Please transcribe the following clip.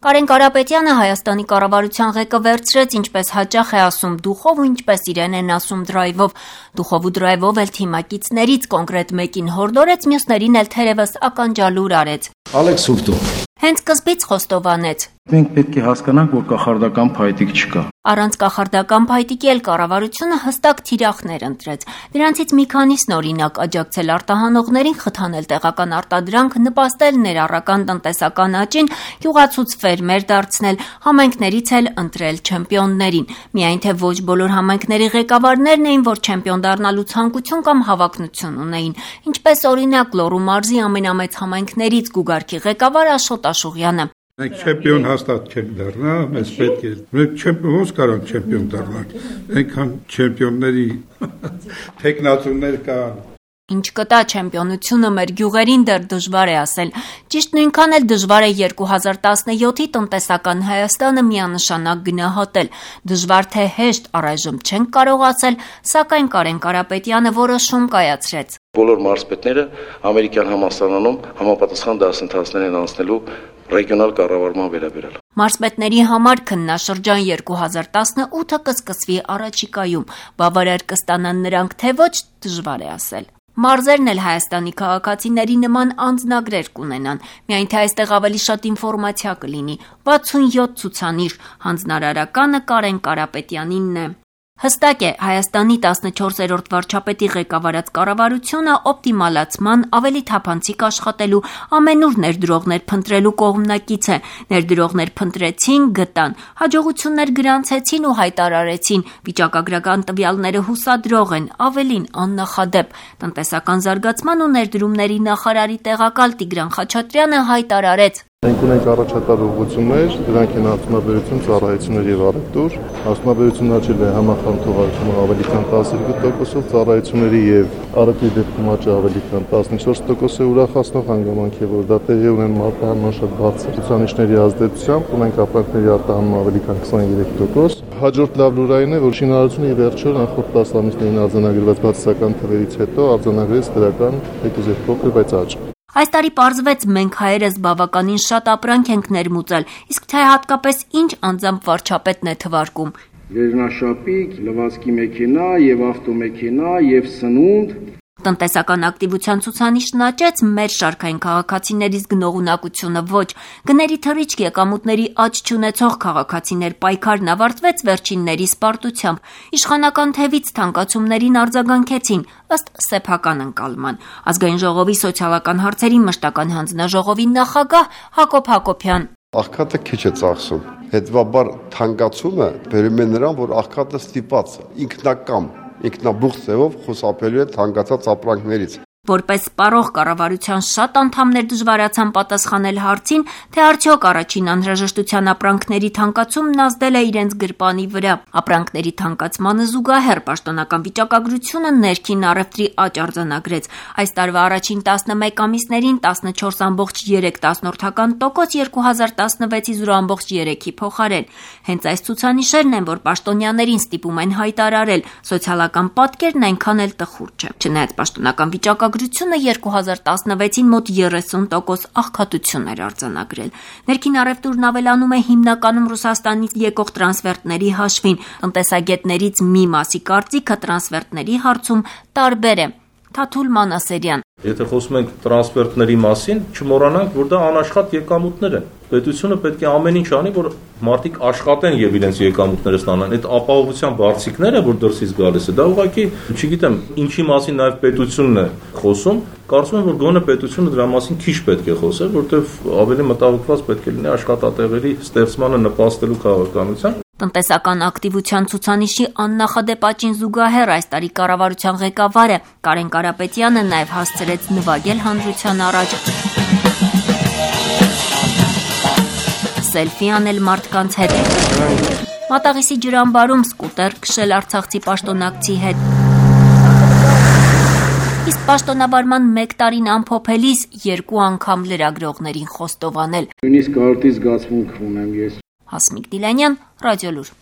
Կարեն Կարապետյանը Հայաստանի կառավարության ղեկը վերցրեց, ինչպես հաճախ է ասում դուխով ու ինչպես իրեն են ասում դրայվով։ Դուխով ու դրայվով էլ թիմակիցներից կոնկրետ մեկին հորդորեց, մյուսներին էլ թերևս ականջալուր արեց։ Ալեքս Սուպտո։ Հենց սկզբից խոստովանեց. Մենք պետք է հասկանանք, որ կախարդական փայտիկ չկա։ Առանց կախարդական փայտիկի էլ կառավարությունը հստակ թիրախներ ընտրեց։ Դրանցից մի քանիսն օրինակ աջակցել արտահանողներին, խթանել տեղական արտադրանք, նպաստել ներառական տնտեսական աճին, յուղացուց ֆերմեր դարձնել, համայնքներից էլ ընտրել չեմպիոններին։ Միայն թե ոչ բոլոր համայնքների ղեկավարներն էին, որ չեմպիոն դառնալու ցանկություն կամ հավակնություն ունեին։ Ինչպես օրինակ Լոռու մարզի ամենամեծ համայնքներից Գուգարքի ղեկավար Աշոտ Աշուղյանը։ Մենք չեմպիոն հաստատ չենք դառնա, մեզ պետք է։ Մենք ոնց կարանք չեմպիոն դառնալ։ Այնքան չեմպիոնների տեխնացուներ կան։ Ինչ կտա չեմպիոնությունը մեր գյուղերին դեռ դժվար է ասել։ Ճիշտ նույնքան էլ դժվար է 2017-ի տնտեսական Հայաստանը միանշանակ գնահատել։ Դժվար թե հեշտ առայժմ չենք կարող ասել, սակայն Կարեն Կարապետյանը որոշում կայացրեց։ Բոլոր մարզպետները ամերիկյան համալսարանում համապատասխան դասընթացներ են անցնելու ռեգիոնալ կառավարման վերաբերյալ։ Մարզպետների համար քննաշրջան 2018-ը կսկսվի առաջիկայում։ Բավարար կստանան նրանք, թե ոչ, դժվար է ասել։ Մարզերն էլ Հայաստանի քաղաքացիների նման անձնագրեր կունենան, միայն թե այստեղ ավելի շատ ինֆորմացիա կլինի։ 67 ցուցանիշ, հանձնարարականը Կարեն Կարապետյանինն է։ Հստակ է, Հայաստանի 14-րդ վարչապետի ղեկավարած կառավարությունը օպտիմալացման, ավելի թափանցիկ աշխատելու, ամենուր ներդրողներ փնտրելու կողմնակից է։ Ներդրողներ փնտրեցին, գտան, հաջողություններ գրանցեցին ու հայտարարեցին, վիճակագրական տվյալները հուսադրող են, ավելին աննախադեպ։ Տնտեսական զարգացման ու ներդրումների նախարարի տեղակալ Տիգրան Խաչատրյանը հայտարարեց. Մենք ունենք առաջատար ուղղություններ, դրանք են արդյունաբերություն, ծառայություններ եւ առևտուր։ Արդյունաբերությունն աճել է համախառն թողարկումը ավելի քան 12%-ով, ծառայությունների եւ առևտրի դեպքում աճը ավելի քան 14% է, ուրախացնող հանգամանք է, որ դա տեղի ունեն մարտահանման շատ բարձր ցուցանիշների ազդեցությամբ, ունենք ապրանքների արտահանումը ավելի քան 23%։ Հաջորդ լավ լուրային է, որ շինարարությունը եւ վերջերս նախորդ 10 ամիսներին արձանագրված բացասական թվերից հետո արձանագրեց դրական հետուզեր փոքր, բայց աճ։ Այս տարի պարզվեց, մենք հայերս բավականին շատ ապրանք ենք ներմուծել, իսկ թե հատկապես ինչ անձամբ վարչապետն է թվարկում։ Վերնաշապիկ, լվացքի մեքենա եւ ավտոմեքենա եւ սնունդ։ Տնտեսական ակտիվության ցուցանիշն աճեց, մեր շարքային քաղաքացիներից գնողունակությունը ոչ։ Գների թռիչք, եկամուտների աճ չունեցող քաղաքացիներ պայքարն ավարտվեց վերջինների սպարտությամբ։ Իշխանական թևից թանկացումներին արձագանքեցին ըստ սեփական ընկալման։ Ազգային ժողովի սոցիալական հարցերի մշտական հանձնաժողովի նախագահ Հակոբ Հակոբյան։ Աղքատը քիչ է ծախսում։ Հետևաբար թանկացումը բերում է նրան, որ աղքատը ստիպված ինքնակամ ինքնաբուխ ձևով խուսափելու է թանկացած ապրանքներից։ Որպես սպառող կառավարության շատ անդամներ դժվարացան պատասխանել հարցին, թե արդյոք առաջին անհրաժեշտության ապրանքների թանկացումն ազդել է իրենց գրպանի վրա։ Ապրանքների թանկացմանը զուգահեռ պաշտոնական վիճակագրությունը ներքին առևտրի աճ արձանագրեց։ Այս տարվա առաջին 11 ամիսներին 14.3%, 2016-ի 0.3-ի փոխարեն։ Հենց այս ցուցանիշերն են, որ պաշտոնյաներին ստիպում են հայտարարել, սոցիալական պատկերն այնքան էլ տխուր չէ։ Չնայած պաշտոնական վիճակագրությունը 2016-ին մոտ 30% աղքատություն էր արձանագրել։ Ներքին առևտուրն ավելանում է հիմնականում Ռուսաստանից եկող տրանսֆերտների հաշվին։ Տնտեսագետներից մի մասի կարծիքը տրանսֆերտների հարցում տարբեր է։ Թաթուլ Մանասերյան։ Եթե խոսում ենք տրանսֆերտների մասին, չմոռանանք, որ դա անաշխատ եկամուտներ են։ Պետությունը պետք է ամեն ինչ անի, որ մարդիկ աշխատեն եւ իրենց եկամուտները ստանան։ Այդ ապահովության բարձիկները, որ դրսից գալիս է, դա ուղղակի, չգիտեմ, ինչի մասին նաեւ պետությունն է խոսում, կարծում եմ, որ գոնե պետությունը դրա մասին քիչ պետք է խոսեր, որտեղ ավելի մտահոգված պետք է լինի աշխատատեղերի ստեղծմանը նպաստելու քաղաքականության։ Տնտեսական ակտիվության ցուցանիշի աննախադեպ աճին զուգահեռ այս տարի կառավարության ղեկավարը Կարեն Կարապետյանը նաև հասցրեց նվագել հանրության առաջ, սելֆի անել մարդկանց հետ, Մատաղիսի ջրամբարում սկուտեր քշել արցախցի պաշտոնակցի հետ։ Իսկ պաշտոնավարման 1 տարին ամփոփելիս 2 անգամ լրագրողներին խոստովանել։ Նույնիսկ արտի զգացմունք ունեմ ես։ Հասմիկ Դիլանյան, Ռադիոլուր։